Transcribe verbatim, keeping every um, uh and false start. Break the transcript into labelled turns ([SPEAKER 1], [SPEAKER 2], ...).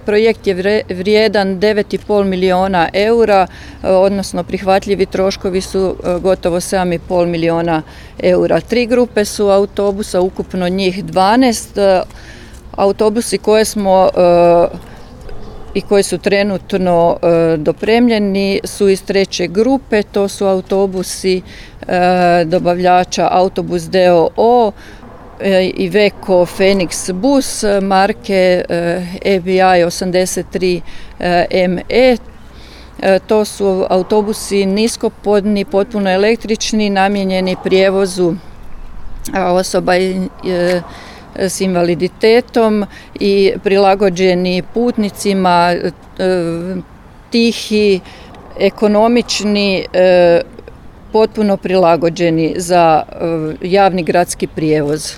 [SPEAKER 1] Projekt je vrijedan devet i pol milijuna eura, odnosno prihvatljivi troškovi su gotovo sedam i pol milijuna eura. Tri grupe su autobusa, ukupno njih dvanaest. Autobusi koje smo i koji su trenutno dopremljeni su iz treće grupe, to su autobusi dobavljača Autobus d o o, Iveco Phoenix Bus marke E B I osamdeset tri M E. To su autobusi niskopodni, potpuno električni, namijenjeni prijevozu osoba s invaliditetom i prilagođeni putnicima, tihi, ekonomični, potpuno prilagođeni za javni gradski prijevoz.